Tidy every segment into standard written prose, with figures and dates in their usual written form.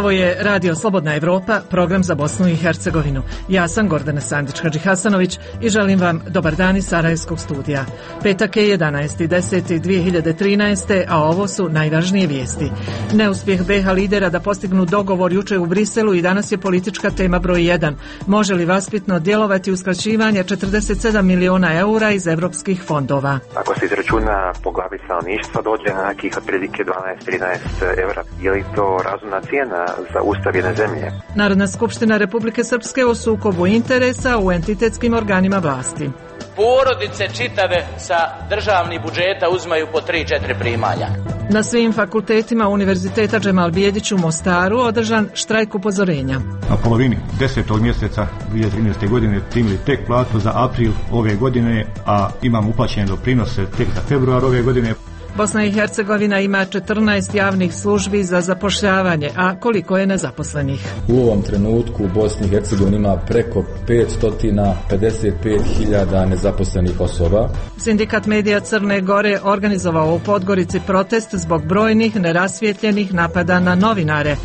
Ovo je Radio Slobodna Evropa, program za Bosnu i Hercegovinu. Ja sam Gordana Sandić-Hadžihasanović i želim vam dobar dan iz Sarajevskog studija. Petak je 11.10.2013. a ovo su najvažnije vijesti. Neuspjeh BiH lidera da postignu dogovor jučer u Briselu i danas je politička tema broj 1. Može li vaspitno djelovati uskraćivanje 47 miliona eura iz evropskih fondova? Ako se izračuna po glavi stanovništva dođe na nekih otprilike 12-13 eura. Je li to razumna cijena za ustav jedne zemlje? Narodna skupština Republike Srpske o sukobu interesa u entitetskim organima vlasti. Porodice čitave sa državnih budžeta uzmaju po 3-4 primanja. Na svim fakultetima Univerziteta Džemal Bijedić u Mostaru održan štrajk upozorenja. Na polovini 10. mjeseca 2013. godine primili tek platu za april ove godine, a imam uplaćene doprinose tek za februar ove godine. Bosna i Hercegovina ima 14 javnih službi za zapošljavanje, a koliko je nezaposlenih? U ovom trenutku u Bosni i Hercegovini ima preko 555.000 nezaposlenih osoba. Sindikat medija Crne Gore organizovao u Podgorici protest zbog brojnih nerasvijetljenih napada na novinare.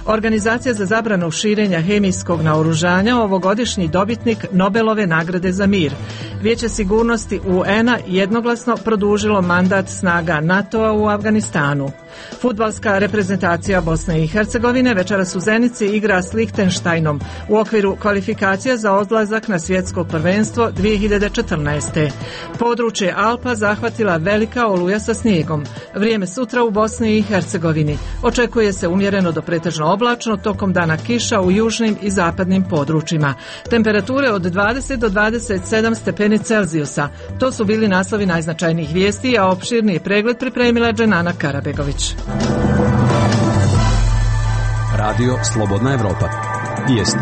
Organizacija za zabranu širenja hemijskog naoružanja ovogodišnji dobitnik Nobelove nagrade za mir. Vijeće sigurnosti UN-a jednoglasno produžilo mandat snaga NATO-a u Afganistanu. Fudbalska reprezentacija Bosne i Hercegovine večeras u Zenici igra s Lihtenštajnom u okviru kvalifikacija za odlazak na svjetsko prvenstvo 2014. Područje Alpa zahvatila velika oluja sa snijegom. Vrijeme sutra u Bosni i Hercegovini. Očekuje se umjereno do pretežno oblačno, tokom dana kiša u južnim i zapadnim područjima. Temperature od 20 do 27 stepeni Celzijusa. To su bili naslovi najznačajnijih vijesti, a opširni pregled pripremila Dženana Karabegović. Radio Slobodna Evropa. Vijesti.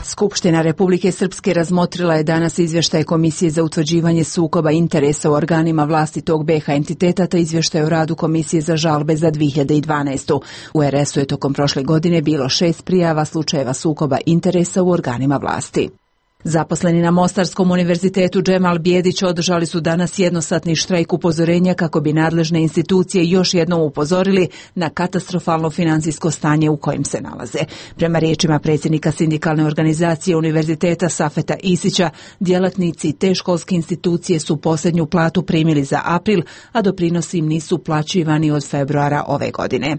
Skupština Republike Srpske razmotrila je danas izvještaj Komisije za utvrđivanje sukoba interesa u organima vlasti tog BiH entiteta te izvještaj o radu Komisije za žalbe za 2012. U RS-u je tokom prošle godine bilo 6 prijava slučajeva sukoba interesa u organima vlasti. Zaposleni na Mostarskom univerzitetu Džemal Bijedić održali su danas jednosatni štrajk upozorenja kako bi nadležne institucije još jednom upozorili na katastrofalno financijsko stanje u kojem se nalaze. Prema riječima predsjednika sindikalne organizacije univerziteta Safeta Isića, djelatnici te školske institucije su posljednju platu primili za april, a doprinosi im nisu uplaćivani od februara ove godine.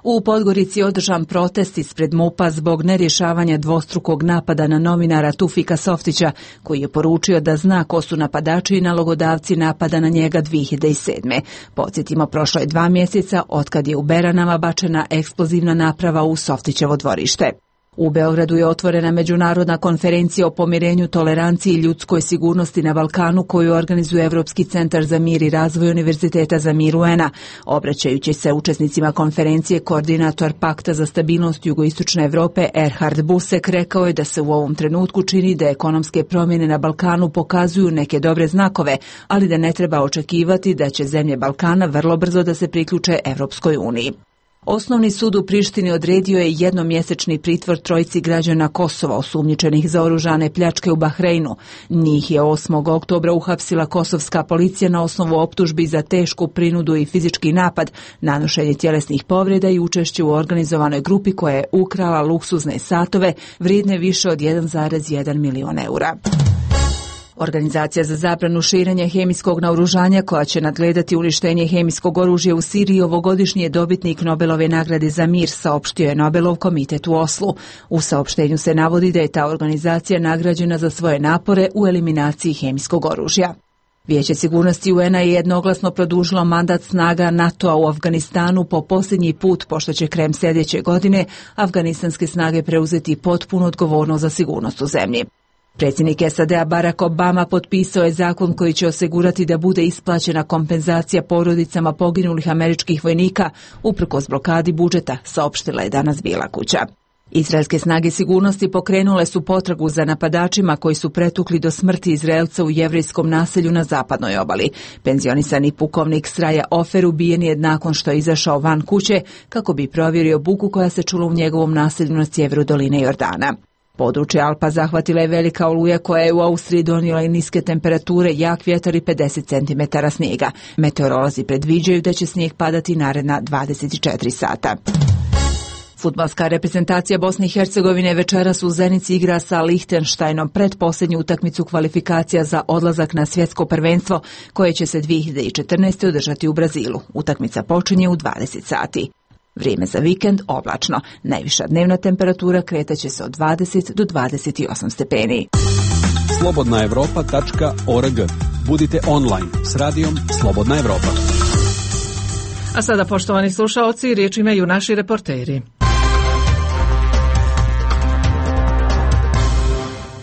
U Podgorici je održan protest ispred MUP-a zbog nerješavanja dvostrukog napada na novinara Tufika Softića, koji je poručio da zna ko su napadači i nalogodavci napada na njega 2007. Podsjetimo, prošlo je 2 mjeseca otkad je u Beranama bačena eksplozivna naprava u Softićevo dvorište. U Beogradu je otvorena međunarodna konferencija o pomirenju, toleranciji i ljudskoj sigurnosti na Balkanu koju organizuje Evropski centar za mir i razvoj Univerziteta za mir UN-a. Obraćajući se učesnicima konferencije, koordinator Pakta za stabilnost jugoistočne Evrope Erhard Busek rekao je da se u ovom trenutku čini da ekonomske promjene na Balkanu pokazuju neke dobre znakove, ali da ne treba očekivati da će zemlje Balkana vrlo brzo da se priključe Evropskoj uniji. Osnovni sud u Prištini odredio je jednomjesečni pritvor trojici građana Kosova osumnjičenih za oružane pljačke u Bahreinu. Njih je 8. oktobra uhapsila kosovska policija na osnovu optužbi za tešku prinudu i fizički napad, nanošenje tjelesnih povreda i učešće u organizovanoj grupi koja je ukrala luksuzne satove vrijedne više od 1,1 milion eura. Organizacija za zabranu širenja hemijskog naoružanja, koja će nadgledati uništenje hemijskog oružja u Siriji, ovogodišnji je dobitnik Nobelove nagrade za mir, saopštio je Nobelov komitet u Oslu. U saopštenju se navodi da je ta organizacija nagrađena za svoje napore u eliminaciji hemijskog oružja. Vijeće sigurnosti UN-a je jednoglasno produžilo mandat snaga NATO-a u Afganistanu po posljednji put, pošto će krajem sljedeće godine afganistanske snage preuzeti potpunu odgovornost za sigurnost u zemlji. Predsjednik SAD-a Barack Obama potpisao je zakon koji će osigurati da bude isplaćena kompenzacija porodicama poginulih američkih vojnika uprkos blokadi budžeta, saopštila je danas Bijela kuća. Izraelske snage sigurnosti pokrenule su potragu za napadačima koji su pretukli do smrti Izraelca u jevrejskom naselju na zapadnoj obali. Penzionisani pukovnik Sraja Ofer ubijen je nakon što je izašao van kuće kako bi provjerio buku koja se čula u njegovom naselju na sjeveru doline Jordana. Područje Alpa zahvatila je velika oluja koja je u Austriji donijela i niske temperature, jak vjetar i 50 cm snijega. Meteorolozi predviđaju da će snijeg padati naredna 24 sata. Fudbalska reprezentacija Bosne i Hercegovine večeras u Zenici igra sa Lihtenštajnom pretposljednju utakmicu kvalifikacija za odlazak na svjetsko prvenstvo koje će se 2014. održati u Brazilu. Utakmica počinje u 20 sati. Vrijeme za vikend oblačno. Najviša dnevna temperatura kretaće se od 20 do 28 stepeni. slobodnaevropa.org. Budite online s radijom Slobodna Evropa. A sada, poštovani slušaoci, riječ imaju naši reporteri.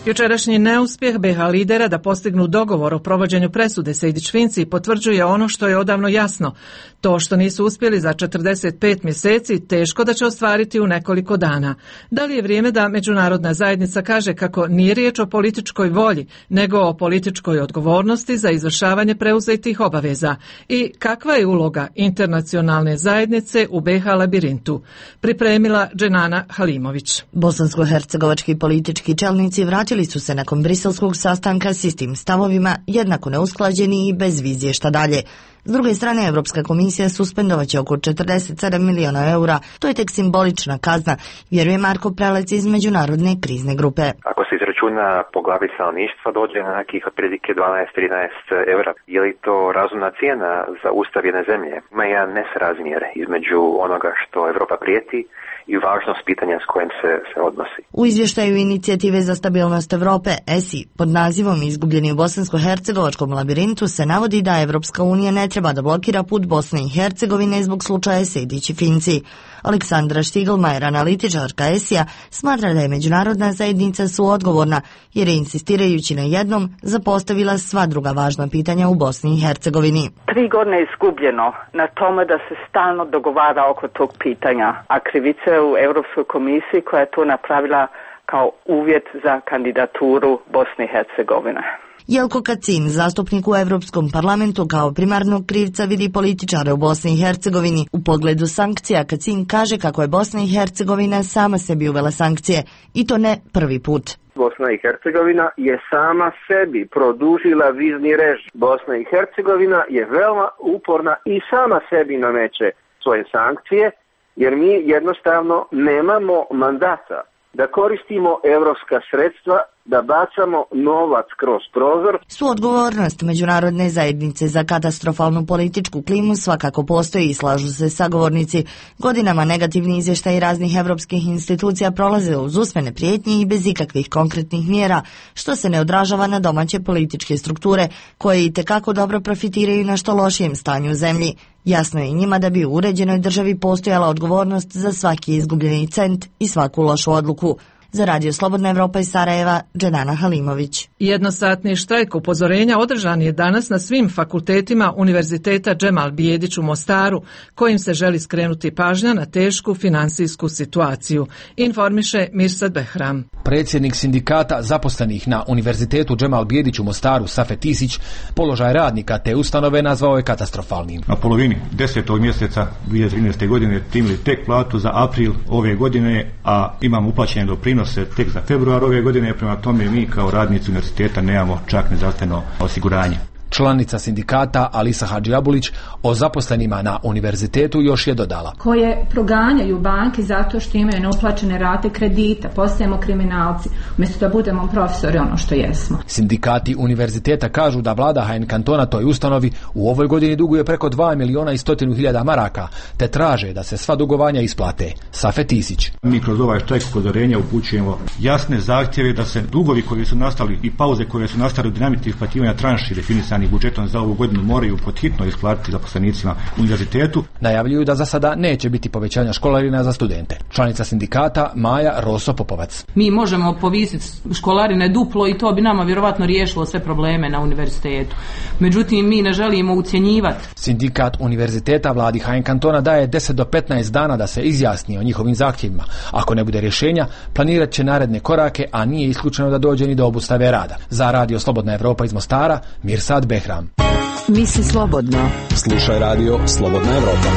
Jučerašnji neuspjeh BiH lidera da postignu dogovor o provođenju presude Sejdić-Finci potvrđuje ono što je odavno jasno. To što nisu uspjeli za 45 mjeseci teško da će ostvariti u nekoliko dana. Da li je vrijeme da međunarodna zajednica kaže kako nije riječ o političkoj volji, nego o političkoj odgovornosti za izvršavanje preuzetih obaveza? I kakva je uloga internacionalne zajednice u BiH labirintu? Pripremila Dženana Halimović. Bosansko-hercegovački politički čelnici vratili su se nakon briselskog sastanka s istim stavovima, jednako neusklađeni i bez vizije šta dalje. S druge strane, Europska komisija suspendovaće oko 47 miliona eura. To je tek simbolična kazna, vjeruje Marko Prelec iz Međunarodne krizne grupe. Ako se izračuna po glavi stanovništva, dođe na nekih otprilike 12-13 eura. Je li to razumna cijena za ustav jedne zemlje? Ima jedan nesrazmjer između onoga što Europa prijeti i važnost pitanja s kojim se odnosi. U izvještaju Inicijative za stabilnost Europe, ESI, pod nazivom Izgubljeni u bosansko-hercegovačkom labirintu, se navodi da Evropska unija ne treba da blokira put Bosne i Hercegovine zbog slučaja Sejdić i Finci. Aleksandra Štiglmajer, analitičarka ESI-a, smatra da je međunarodna zajednica suodgovorna, jer je insistirajući na jednom zapostavila sva druga važna pitanja u Bosni i Hercegovini. 3 godine je izgubljeno na tome da se stalno dogovara oko tog pitanja, a krivica je u Europskoj komisiji koja je to napravila kao uvjet za kandidaturu Bosne i Hercegovine. Jelko Kacin, zastupnik u Europskom parlamentu, kao primarnog krivca vidi političare u Bosni i Hercegovini. U pogledu sankcija Kacin kaže kako je Bosna i Hercegovina sama sebi uvela sankcije, i to ne prvi put. Bosna i Hercegovina je sama sebi produžila vizni režim. Bosna i Hercegovina je veoma uporna i sama sebi nameće svoje sankcije, jer mi jednostavno nemamo mandata da koristimo evropska sredstva, da bacamo novac kroz prozor. Suodgovornost međunarodne zajednice za katastrofalnu političku klimu svakako postoji i slažu se sagovornici. Godinama negativni izvještaji raznih evropskih institucija prolaze uz usmene prijetnje i bez ikakvih konkretnih mjera, što se ne odražava na domaće političke strukture, koje itekako dobro profitiraju na što lošijem stanju u zemlji. Jasno je njima da bi u uređenoj državi postojala odgovornost za svaki izgubljeni cent i svaku lošu odluku. Za Radio Slobodna Evropa iz Sarajeva, Dženana Halimović. Jednosatni štrajk upozorenja održan je danas na svim fakultetima Univerziteta Džemal Bijedić u Mostaru, kojim se želi skrenuti pažnja na tešku finansijsku situaciju, informiše Mirsad Behram. Predsjednik sindikata zaposlenih na Univerzitetu Džemal Bijedić u Mostaru, Safet Isić, položaj radnika te ustanove nazvao je katastrofalnim. Na polovini 10. mjeseca 2013. godine primili tek platu za april ove godine, a imamo uplaćene doprinose tek za februar ove godine, prema tome mi kao radnici univerziteta nemamo čak ni zdravstveno osiguranje. Članica sindikata Alisa Hadžiabulić o zaposlenima na univerzitetu još je dodala. Koje proganjaju banke zato što imaju neuplaćene rate kredita, postajemo kriminalci, umjesto da budemo profesori ono što jesmo. Sindikati univerziteta kažu da vlada HN kantona toj ustanovi u ovoj godini duguje preko 2.100.000 maraka, te traže da se sva dugovanja isplate. Safet Isić. Mi kroz ovaj štrajk upozorenja upućujemo jasne zahtjeve da se dugovi koji su nastali i pauze koje su nastali u dinamici isplaćivanja tranši definisani budžetom za ovu godinu moraju pod hitno isplatiti zaposlenicima univerzitetu. Najavljuju da za sada neće biti povećanja školarina za studente. Članica sindikata Maja Roso Popovac. Mi možemo povisiti školarine duplo i to bi nama vjerovatno riješilo sve probleme na univerzitetu. Međutim, mi ne želimo ucjenjivati. Sindikat univerziteta vladi HN kantona daje 10 do 15 dana da se izjasni o njihovim zahtjevima. Ako ne bude rješenja, planirat će naredne korake, a nije isključeno da dođe ni do obustave rada. Za Radio Slobodna Evropa iz Mostara, Mirsad Behram. Misli slobodno. Slušaj Radio Slobodna Evropa.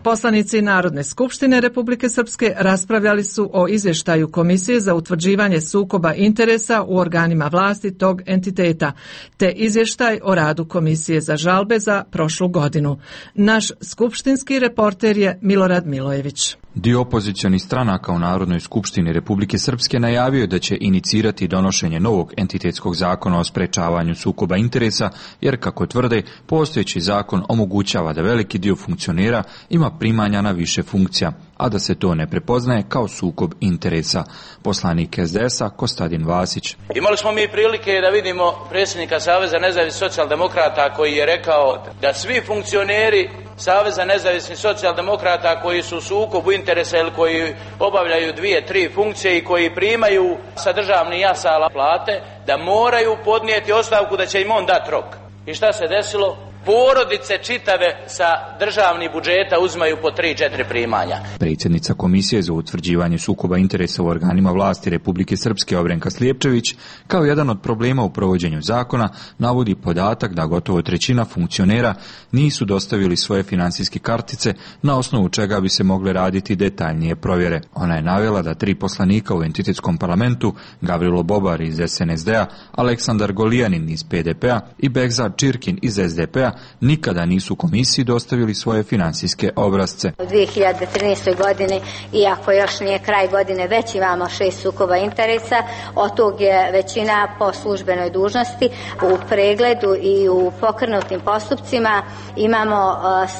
Poslanici Narodne skupštine Republike Srpske raspravljali su o izvještaju Komisije za utvrđivanje sukoba interesa u organima vlasti tog entiteta, te izvještaj o radu Komisije za žalbe za prošlu godinu. Naš skupštinski reporter je Milorad Milojević. Dio opozicionih stranaka u Narodnoj skupštini Republike Srpske najavio je da će inicirati donošenje novog entitetskog zakona o sprečavanju sukoba interesa, jer, kako tvrde, postojeći zakon omogućava da veliki dio funkcionera ima primanja na više funkcija, a da se to ne prepoznaje kao sukob interesa. Poslanik SDS-a Kostadin Vasić. Imali smo mi prilike da vidimo predsjednika Saveza nezavisnih socijaldemokrata koji je rekao da svi funkcioneri Saveza nezavisnih socijaldemokrata koji su u sukobu interesa ili koji obavljaju 2-3 funkcije i koji primaju sa državnih jasala plate, da moraju podnijeti ostavku, da će im on dati rok. I šta se desilo? Porodice čitave sa državnih budžeta uzmaju po 3-4 primanja. Predsjednica Komisije za utvrđivanje sukoba interesa u organima vlasti Republike Srpske Obrenka Slijepčević, kao jedan od problema u provođenju zakona, navodi podatak da gotovo trećina funkcionera nisu dostavili svoje financijske kartice, na osnovu čega bi se mogle raditi detaljnije provjere. Ona je navela da 3 poslanika u entitetskom parlamentu, Gavrilo Bobar iz SNSD-a, Aleksandar Golijanin iz PDP-a i Behzad Čirkin iz SDP-a nikada nisu komisiji dostavili svoje financijske obrasce. U 2013. godini, iako još nije kraj godine, već imamo 6 sukoba interesa, od tog je većina po službenoj dužnosti. U pregledu i u pokrenutim postupcima imamo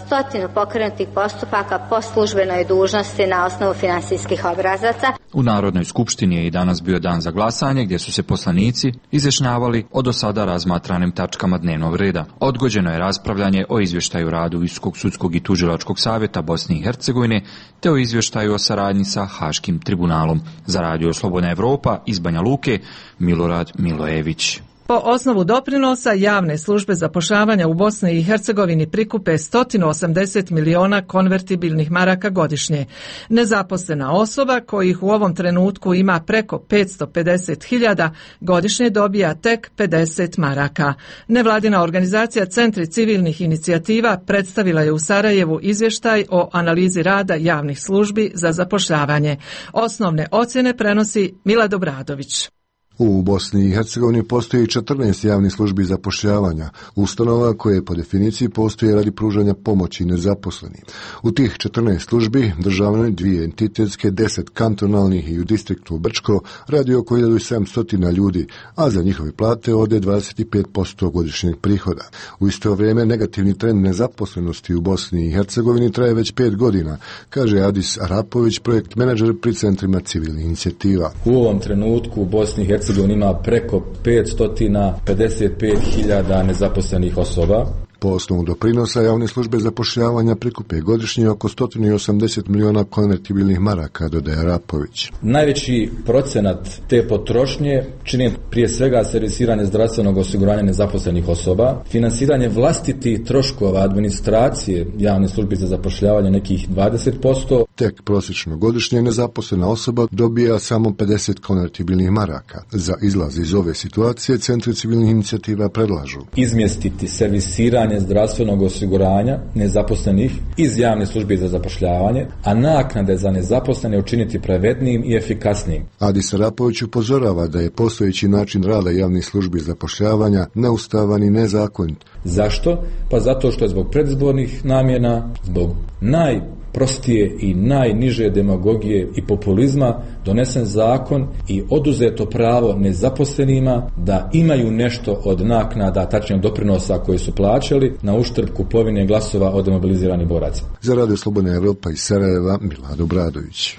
100 pokrenutih postupaka po službenoj dužnosti na osnovu finansijskih obrazaca. U Narodnoj skupštini je i danas bio dan za glasanje, gdje su se poslanici izjašnjavali o do sada razmatranim tačkama dnevnog reda. Odgođeno je raspravljanje o izvještaju radu Visokog sudskog i tužilačkog savjeta Bosne i Hercegovine, te o izvještaju o saradnji sa Haškim tribunalom. Za Radio Slobodna Evropa iz Banja Luke, Milorad Milojević. Po osnovu doprinosa javne službe zapošljavanja u Bosni i Hercegovini prikupe 180 miliona konvertibilnih maraka godišnje. Nezaposlena osoba, kojih u ovom trenutku ima preko 550.000, godišnje dobija tek 50 maraka. Nevladina organizacija Centri civilnih inicijativa predstavila je u Sarajevu izvještaj o analizi rada javnih službi za zapošljavanje. Osnovne ocjene prenosi Milad Obradović. U Bosni i Hercegovini postoji 14 javnih službi zapošljavanja, ustanova koje po definiciji postoje radi pružanja pomoći nezaposlenim. U tih 14 službi, državne, 2 entitetske, 10 kantonalnih i u distriktu Brčko radi oko 1700 ljudi, a za njihove plate ode 25% godišnjeg prihoda. U isto vrijeme negativni trend nezaposlenosti u Bosni i Hercegovini traje već 5 godina, kaže Adis Arapović, projekt menadžer pri centrima civilnih inicijativa. U ovom trenutku u Bosni i Hercegovini ima preko 555.000 nezaposlenih osoba. Po osnovu doprinosa javne službe zapošljavanja prikupe godišnje oko 180 miliona konvertibilnih maraka, dodaje Rapović. Najveći procenat te potrošnje čini prije svega servisiranje zdravstvenog osiguranja nezaposlenih osoba, finansiranje vlastitih troškova administracije javne službe za zapošljavanje nekih 20%. Tek prosječno godišnje nezaposlena osoba dobija samo 50 konvertibilnih maraka. Za izlaz iz ove situacije centri civilnih inicijativa predlažu izmjestiti servisiranje zdravstvenog osiguranja nezaposlenih iz javne službe za zapošljavanje, a naknade za nezaposlene učiniti pravednijim i efikasnijim. Adis Arapović upozorava da je postojeći način rada javnih službi zapošljavanja neustavan i nezakonit. Zašto? Pa zato što je zbog predizbornih namjena, zbog najprostije i najniže demagogije i populizma donesen zakon i oduzeto pravo nezaposlenima da imaju nešto od naknada, tačnije doprinosa koje su plaćali, na uštrb kupovine glasova od demobiliziranih boraca. Za Radio Slobodna Evropa iz Sarajeva, Milad Obradović.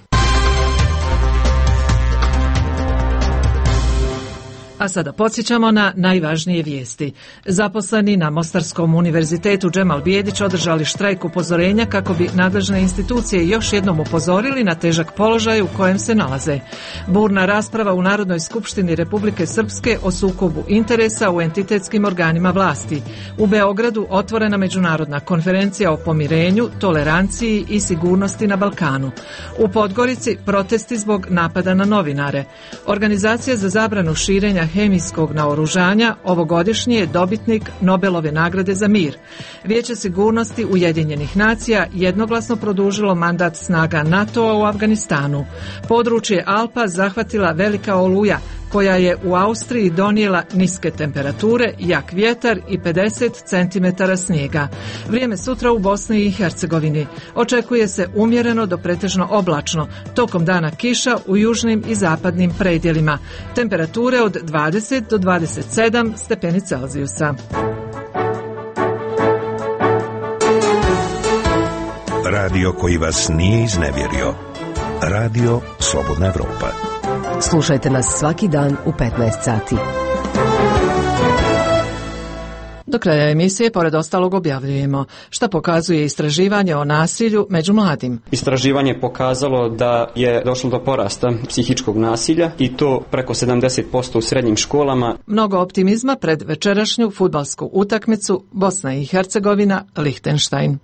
A sada podsjećamo na najvažnije vijesti. Zaposleni na Mostarskom univerzitetu Džemal Bijedić održali štrajk upozorenja kako bi nadležne institucije još jednom upozorili na težak položaj u kojem se nalaze. Burna rasprava u Narodnoj skupštini Republike Srpske o sukobu interesa u entitetskim organima vlasti. U Beogradu otvorena međunarodna konferencija o pomirenju, toleranciji i sigurnosti na Balkanu. U Podgorici protesti zbog napada na novinare. Organizacija za zabranu širenja širenja hemijskog naoružanja ovogodišnji je dobitnik Nobelove nagrade za mir. Vijeće sigurnosti Ujedinjenih nacija jednoglasno produžilo mandat snaga NATO-a u Afganistanu. Područje Alpa zahvatila velika oluja koja je u Austriji donijela niske temperature, jak vjetar i 50 cm snijega. Vrijeme sutra u Bosni i Hercegovini. Očekuje se umjereno do pretežno oblačno, tokom dana kiša u južnim i zapadnim predjelima. Temperature od 20 do 27 stepeni Celzijusa. Radio koji vas nije iznevjerio. Radio Slobodna Evropa. Slušajte nas svaki dan u 15 sati. Do kraja emisije, pored ostalog, objavljujemo šta pokazuje istraživanje o nasilju među mladim. Istraživanje je pokazalo da je došlo do porasta psihičkog nasilja i to preko 70% u srednjim školama. Mnogo optimizma pred večerašnju fudbalsku utakmicu Bosna i Hercegovina Lihtenštajn.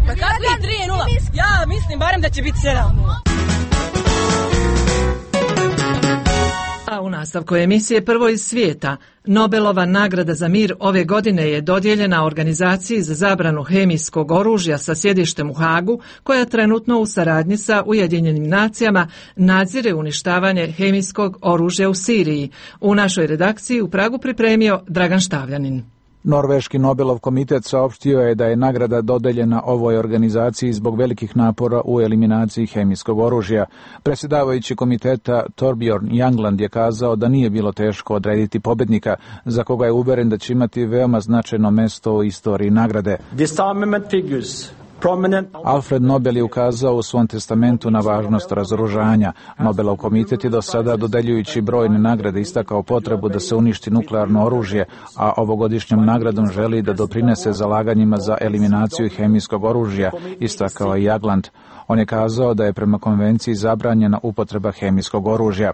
Pa kako je 3-0? Ja mislim barem da će biti 7-0. A u nastavku emisije Prvo iz svijeta, Nobelova nagrada za mir ove godine je dodijeljena organizaciji za zabranu hemijskog oružja sa sjedištem u Hagu, koja trenutno u saradnji sa Ujedinjenim nacijama nadzire uništavanje hemijskog oružja u Siriji. U našoj redakciji u Pragu pripremio Dragan Štavljanin. Norveški Nobelov komitet saopštio je da je nagrada dodeljena ovoj organizaciji zbog velikih napora u eliminaciji hemijskog oružja. Predsjedavajući komiteta Torbjorn Jagland je kazao da nije bilo teško odrediti pobednika, za koga je uveren da će imati veoma značajno mesto u istoriji nagrade. Alfred Nobel je ukazao u svom testamentu na važnost razoružanja. Nobelov komitet je do sada, dodeljujući brojne nagrade, istakao potrebu da se uništi nuklearno oružje, a ovogodišnjom nagradom želi da doprinese zalaganjima za eliminaciju hemijskog oružja, istakao je Jagland. On je kazao da je prema konvenciji zabranjena upotreba hemijskog oružja.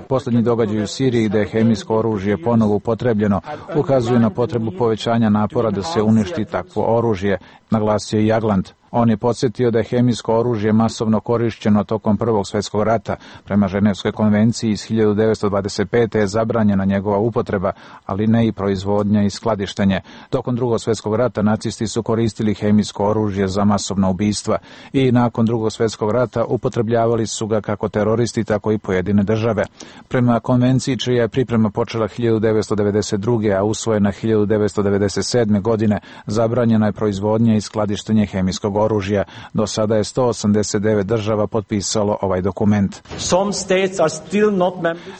Posljednji događaj u Siriji gde je hemijsko oružje ponovo upotrebljeno ukazuju na potrebu povećanja napora da se uništi takvo oružje, naglasio je Jagland. On je podsjetio da je hemijsko oružje masovno korišćeno tokom Prvog svjetskog rata. Prema Ženevskoj konvenciji iz 1925. je zabranjena njegova upotreba, ali ne i proizvodnja i skladištenje. Tokom Drugog svjetskog rata nacisti su koristili hemijsko oružje za masovna ubistva i nakon Drugog svjetskog rata upotrebljavali su ga kako teroristi, tako i pojedine države. Prema konvenciji, čija je priprema počela 1992. a usvojena 1997. godine, zabranjena je proizvodnja i skladištenje hemijskog oružja. Do sada je 189 država potpisalo ovaj dokument.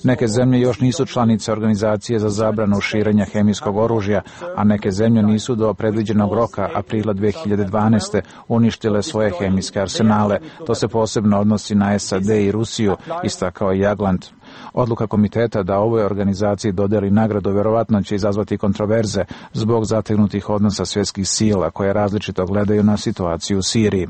Neke zemlje još nisu članice organizacije za zabranu širenja hemijskog oružja, a neke zemlje nisu do predviđenog roka aprila 2012. uništile svoje hemijske arsenale. To se posebno odnosi na SAD i Rusiju, istakao je Jagland. Odluka komiteta da ovoj organizaciji dodeli nagradu vjerovatno će izazvati kontroverze zbog zategnutih odnosa svjetskih sila koje različito gledaju na situaciju u Siriji.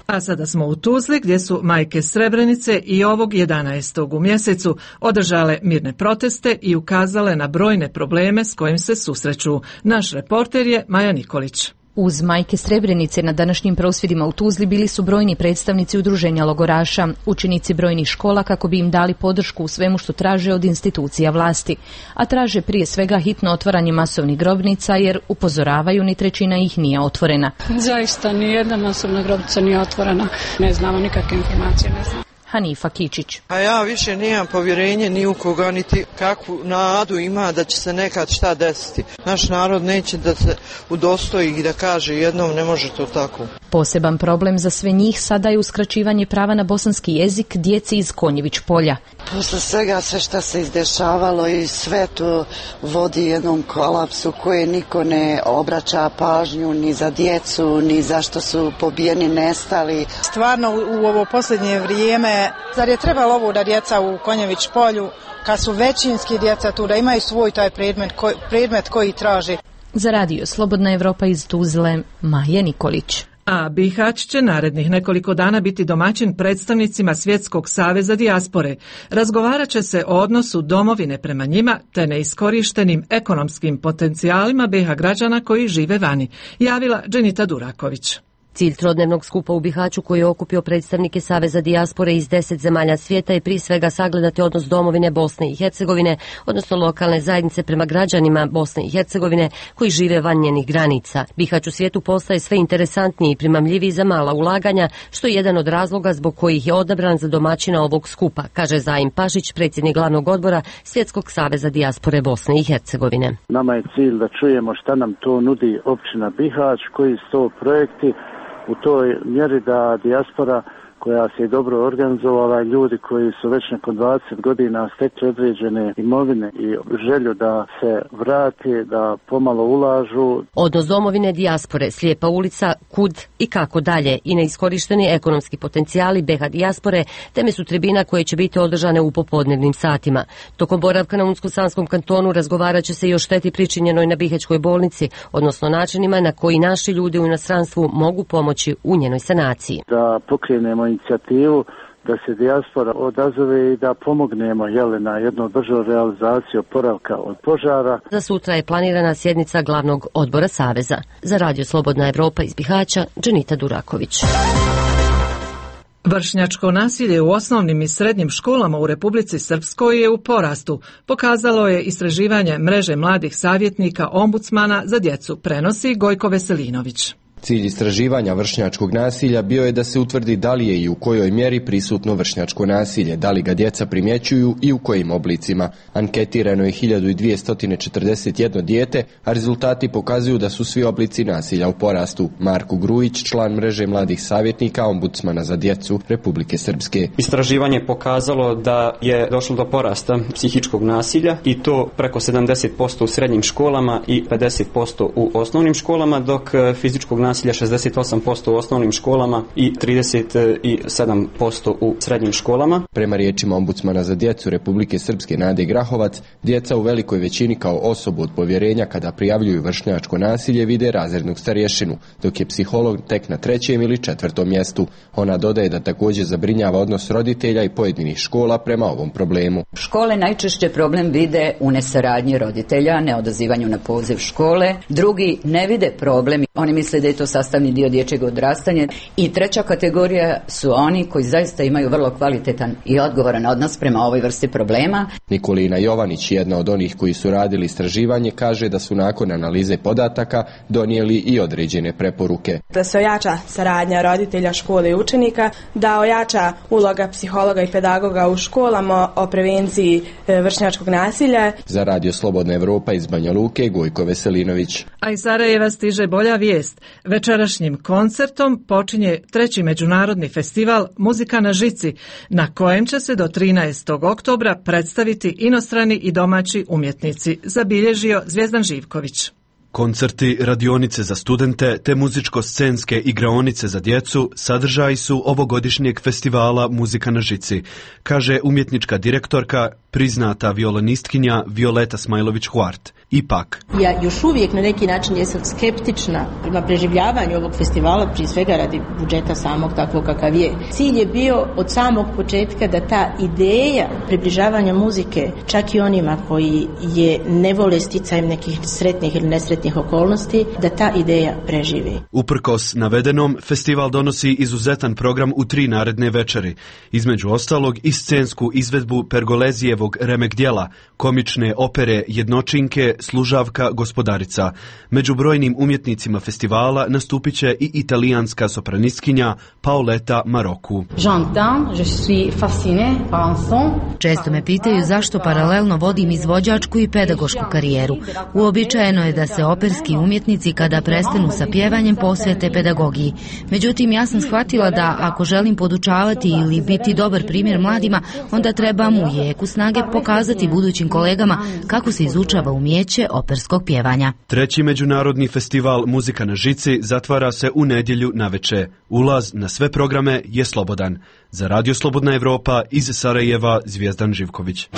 A sada smo u Tuzli gdje su majke Srebrenice i ovog 11. u mjesecu održale mirne proteste i ukazale na brojne probleme s kojim se susreću. Naš reporter je Maja Nikolić. Uz majke Srebrenice na današnjim prosvjedima u Tuzli bili su brojni predstavnici udruženja logoraša, učenici brojnih škola kako bi im dali podršku u svemu što traže od institucija vlasti, a traže prije svega hitno otvaranje masovnih grobnica jer upozoravaju ni trećina ih nije otvorena. Zaista nijedna masovna grobnica nije otvorena, ne znamo nikakve informacije, ne znamo. Hanifa Kičić. A ja više nemam povjerenje ni u koga, niti kakvu nadu ima da će se nekad šta desiti. Naš narod neće da se udostoji i da kaže jednom ne može to tako. Poseban problem za sve njih sada je uskraćivanje prava na bosanski jezik djeci iz Konjević polja. Posle svega sve što se izdešavalo i sve to vodi jednom kolapsu koje niko ne obraća pažnju ni za djecu, ni zašto su pobijeni, nestali. Stvarno u ovo posljednje vrijeme, zar je trebalo ovo da djeca u Konjević polju, kad su većinski djeca tu, da imaju svoj taj predmet koji traži. Za radio Slobodna Evropa iz Tuzle, Maja Nikolić. A Bihać će narednih nekoliko dana biti domaćin predstavnicima Svjetskog saveza dijaspore. Razgovarat će se o odnosu domovine prema njima te neiskorištenim ekonomskim potencijalima BiH građana koji žive vani, javila Dženita Duraković. Cilj trodnevnog skupa u Bihaću, koji je okupio predstavnike Saveza dijaspore iz 10 zemalja svijeta, je prije svega sagledati odnos domovine Bosne i Hercegovine, odnosno lokalne zajednice prema građanima Bosne i Hercegovine koji žive van njenih granica. Bihać u svijetu postaje sve interesantniji i primamljiviji za mala ulaganja, što je jedan od razloga zbog kojih je odabran za domaćina ovog skupa, kaže Zaim Pašić, predsjednik glavnog odbora Svjetskog saveza dijaspore Bosne i Hercegovine. Nama je cilj da čujemo šta nam to nudi općina Bihać, koji su to projekti u toj mjeri da dijaspora koja se je dobro organizovala, ljudi koji su već nakon 20 godina stekli određene imovine i želju da se vrati, da pomalo ulažu. Odnos domovine, dijaspore, Slijepa ulica, kud i kako dalje i neiskorišteni ekonomski potencijali BH dijaspore teme su tribina koje će biti održane u popodnevnim satima. Tokom boravka na Unsko-Sanskom kantonu razgovarat će se i o šteti pričinjenoj na Bihaćkoj bolnici, odnosno načinima na koji naši ljudi u inostranstvu mogu pomoći u njenoj sanaciji. Da pokrenemo inicijativu da se dijaspora odazove i da pomognemo na jednu održivu realizaciju oporavka od požara. Za sutra je planirana sjednica glavnog odbora Saveza. Za Radio Slobodna Evropa iz Bihaća, Dženita Duraković. Vršnjačko nasilje u osnovnim i srednjim školama u Republici Srpskoj je u porastu, pokazalo je istraživanje mreže mladih savjetnika ombudsmana za djecu, prenosi Gojko Veselinović. Cilj istraživanja vršnjačkog nasilja bio je da se utvrdi da li je i u kojoj mjeri prisutno vršnjačko nasilje, da li ga djeca primjećuju i u kojim oblicima. Anketirano je 1241 dijete, a rezultati pokazuju da su svi oblici nasilja u porastu. Marko Grujić, član mreže mladih savjetnika ombudsmana za djecu Republike Srpske. Istraživanje je pokazalo da je došlo do porasta psihičkog nasilja i to preko 70% u srednjim školama i 50% u osnovnim školama, dok fizičkog nasilja 68% u osnovnim školama i 37% u srednjim školama. Prema riječima ombudsmana za djecu Republike Srpske Nade Grahovac, djeca u velikoj većini kao osobu od povjerenja kada prijavljuju vršnjačko nasilje vide razrednog starješinu, dok je psiholog tek na 3. ili 4. mjestu. Ona dodaje da također zabrinjava odnos roditelja i pojedinih škola prema ovom problemu. Škole najčešće problem vide u nesaradnji roditelja, neodazivanju na poziv škole. Drugi ne vide problem, oni misle da je to sastavni dio dječjeg odrastanja. I treća kategorija su oni koji zaista imaju vrlo kvalitetan i odgovoran odnos prema ovoj vrsti problema. Nikolina Jovanić, jedna od onih koji su radili istraživanje, kaže da su nakon analize podataka donijeli i određene preporuke. Da se ojača saradnja roditelja, škole i učenika, da ojača uloga psihologa i pedagoga u školama o prevenciji vršnjačkog nasilja. Za Radio Slobodna Evropa iz Banja Luke, Gojko Veselinović. A iz Sarajeva stiže bolja vijest. Večerašnjim koncertom počinje 3. međunarodni festival Muzika na žici, na kojem će se do 13. oktobra predstaviti inostrani i domaći umjetnici, zabilježio Zvjezdan Živković. Koncerti, radionice za studente te muzičko-scenske igraonice za djecu sadržaji su ovogodišnjeg festivala Muzika na žici, kaže umjetnička direktorka, priznata violinistkinja Violeta Smajlović-Huart. Ipak, ja još uvijek na neki način jesam skeptična prema preživljavanju ovog festivala, prije svega radi budžeta samog takvog kakav je. Cilj je bio od samog početka da ta ideja približavanja muzike, čak i onima koji je ne vole sticajem nekih sretnih ili nesretnih okolnosti, da ta ideja preživi. Uprkos navedenom, festival donosi izuzetan program u 3 naredne večeri. Između ostalog i scensku izvedbu Pergolezijevog remek djela, komične opere Jednočinke, Služavka, Gospodarica. Među brojnim umjetnicima festivala nastupit će i italijanska sopranistkinja Paoletta Marocco. Često me pitaju zašto paralelno vodim izvođačku i pedagošku karijeru. Uobičajeno je da se operski umjetnici kada prestanu sa pjevanjem posvete pedagogiji. Međutim, ja sam shvatila da ako želim podučavati ili biti dobar primjer mladima, onda trebam u jeku snage pokazati budućim kolegama kako se izučava umijeće operskog pjevanja. 3. međunarodni festival Muzika na žici zatvara se u nedjelju naveče. Ulaz na sve programe je slobodan. Za Radio Slobodna Evropa iz Sarajeva, Zvjezdan Živković.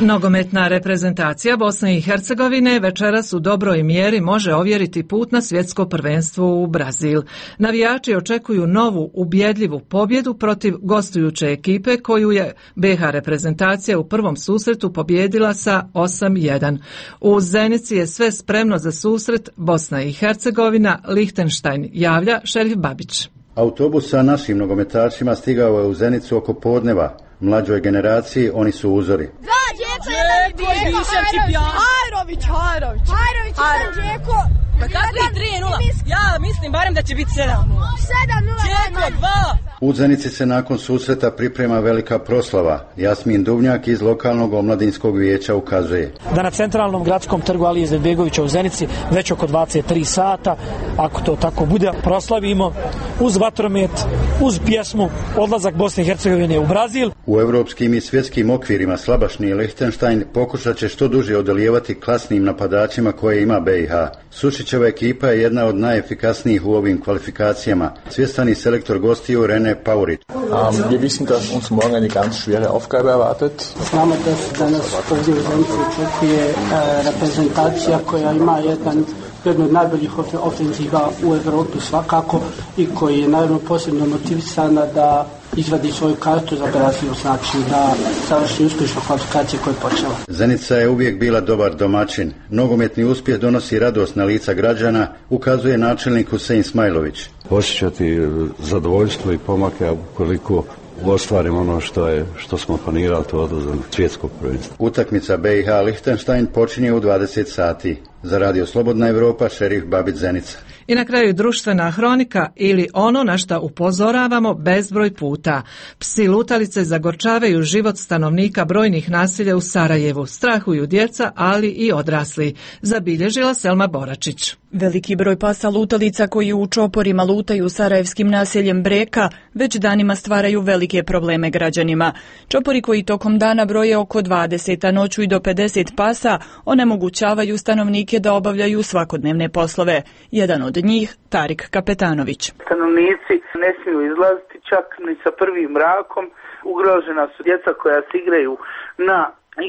Nogometna reprezentacija Bosne i Hercegovine večeras u dobroj mjeri može ovjeriti put na svjetsko prvenstvo u Brazil. Navijači očekuju novu ubjedljivu pobjedu protiv gostujuće ekipe koju je BiH reprezentacija u prvom susretu pobijedila sa 8-1. U Zenici je sve spremno za susret Bosna i Hercegovina, Lihtenštajn, javlja Šerif Babić. Autobus sa našim nogometašima stigao je u Zenicu oko podneva. Mlađoj generaciji oni su uzori. Ja mislim barem da će biti 7-0. U Zenici se nakon susreta priprema velika proslava. Jasmin Duvnjak iz lokalnog omladinskog vijeća ukazuje da na centralnom gradskom trgu Alije Izetbegovića u Zenici već oko 23 sata, ako to tako bude, proslavimo uz vatromet, uz pjesmu odlazak Bosne i Hercegovine u Brazil. U evropskim i svjetskim okvirima slabašni Lihtenštajn pokušat će što duže odolijevati klasnim napadačima koje ima BiH. Sušićeva ekipa je jedna od najefikasnijih u ovim kvalifikacijama. Svjestani selektor gostiju Rene Paurit. Wir wissen, dass uns morgen eine ganz schwere Aufgabe erwartet. Znamo da nas ovdje u Zenici očekuje reprezentacija koja ima jednu od najboljih ofenziva u Evropi svakako i koji je naravno posebno motivisana da izvadi svoju kartu za Brazil, znači da završi uspješno kvalifikacije koje je počela. Zenica je uvijek bila dobar domaćin. Nogometni uspjeh donosi radost na lica građana, ukazuje načelnik Husein Smajlović. Osjećati zadovoljstvo i pomake ukoliko ostvarimo ono što smo planirali, to odlazak svjetskog prvenstva. Utakmica BiH Lihtenštajn počinje u 20 sati. Za Radio Slobodna Evropa, Šerif Babić, Zenica. I na kraju društvena hronika ili ono na šta upozoravamo bezbroj puta. Psi lutalice zagorčavaju život stanovnika brojnih naselja u Sarajevu. Strahuju djeca, ali i odrasli. Zabilježila Selma Boračić. Veliki broj pasa lutalica koji u čoporima lutaju sarajevskim naseljem Breka već danima stvaraju velike probleme građanima. Čopori koji tokom dana broje oko 20, a noću i do 50 pasa onemogućavaju stanovnike da obavljaju svakodnevne poslove. Jedan od njih, Tarik Kapetanović. Stanovnici ne smiju izlaziti čak ni sa prvim mrakom. Ugrožena su djeca koja se igraju na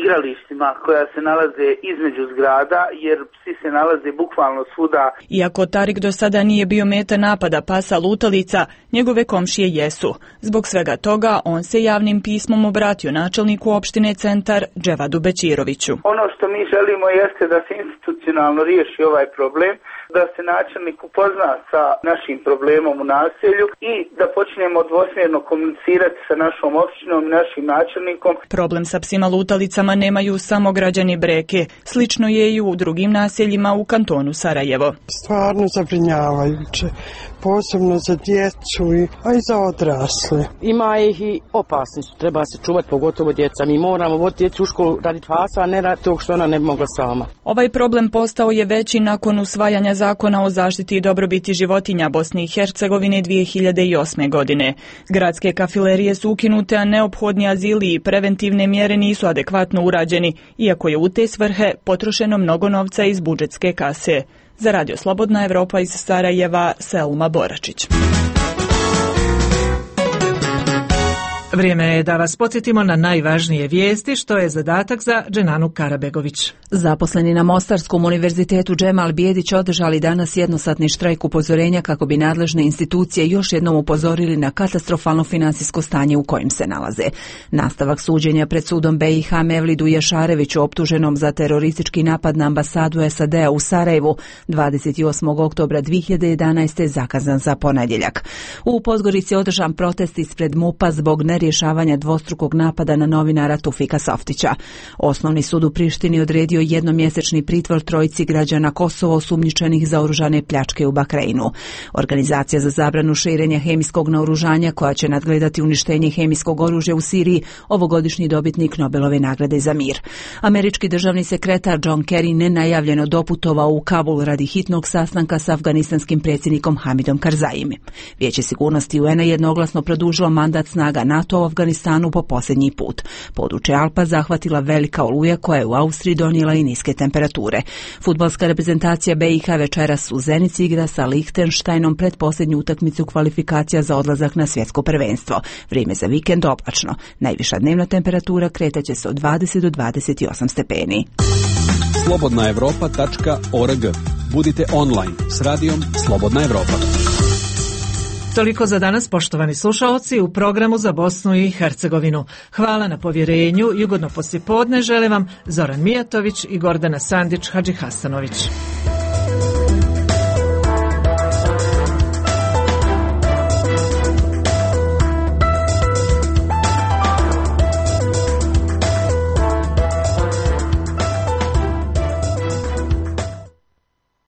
igralištima koja se nalaze između zgrada, jer psi se nalaze bukvalno svuda. Iako Tarik do sada nije bio meta napada pasa lutalica, njegove komšije jesu. Zbog svega toga, on se javnim pismom obratio načelniku opštine Centar Dževadu Bećiroviću. Ono što mi želimo jeste da se institucionalno riješi ovaj problem, da se načelnik upozna sa našim problemom u naselju i da počnemo dvosmjerno komunicirati sa našom opštinom i našim načelnikom. Problem sa psima lutalicama nemaju samo građani Breke. Slično je i u drugim naseljima u kantonu Sarajevo. Stvarno zabrinjavajuće, posebno za djecu, a i za odrasle. Ima ih i opasni su, treba se čuvati, pogotovo djeca. Mi moramo voditi djecu u školu raditi fasa, a ne raditi tog što ona ne bi mogla sama. Ovaj problem postao je veći nakon usvajanja Zakona o zaštiti i dobrobiti životinja Bosne i Hercegovine 2008. godine. Gradske kafilerije su ukinute, a neophodni azili i preventivne mjere nisu adekvatno urađeni, iako je u te svrhe potrošeno mnogo novca iz budžetske kase. Za Radio Slobodna Evropa iz Sarajeva, Selma Boračić. Vrijeme je da vas podsjetimo na najvažnije vijesti, što je zadatak za Dženanu Karabegović. Zaposleni na Mostarskom univerzitetu Džemal Bijedić održali danas jednosatni štrajk upozorenja kako bi nadležne institucije još jednom upozorili na katastrofalno financijsko stanje u kojem se nalaze. Nastavak suđenja pred sudom BiH Mevlidu Ješareviću optuženom za teroristički napad na ambasadu SAD-a u Sarajevu 28. oktobra 2011. zakazan za ponedjeljak. U Podgorici održan protest ispred MUP-a zbog nerješavanja dvostrukog napada na novinara Tufika Softića. Osnovni sud u Prištini odredio jednomjesečni pritvor trojici građana Kosova osumnjičenih za oružane pljačke u Bahreinu. Organizacija za zabranu širenja hemijskog naoružanja, koja će nadgledati uništenje hemijskog oružja u Siriji, ovogodišnji dobitnik Nobelove nagrade za mir. Američki državni sekretar John Kerry nenajavljeno doputovao u Kabul radi hitnog sastanka s afganistanskim predsjednikom Hamidom Karzaijem. Vijeće sigurnosti UN-a jednoglasno produžilo mandat snaga NATO rata u Afganistanu po posljednji put. Područje Alpa zahvatila velika oluja koja je u Austriji donijela i niske temperature. Fudbalska reprezentacija BiH večeras u Zenici igra sa Lihtenštajnom pred posljednju utakmicu kvalifikacija za odlazak na svjetsko prvenstvo. Vrijeme za vikend oblačno. Najviša dnevna temperatura kretaće se od 20 do 28 stepeni. slobodnaevropa.org. Budite online s radijom Slobodna Evropa. Toliko za danas, poštovani slušaoci, u programu za Bosnu i Hercegovinu. Hvala na povjerenju i ugodno poslijepodne žele vam Zoran Mijatović i Gordana Sandić Hadžihasanović.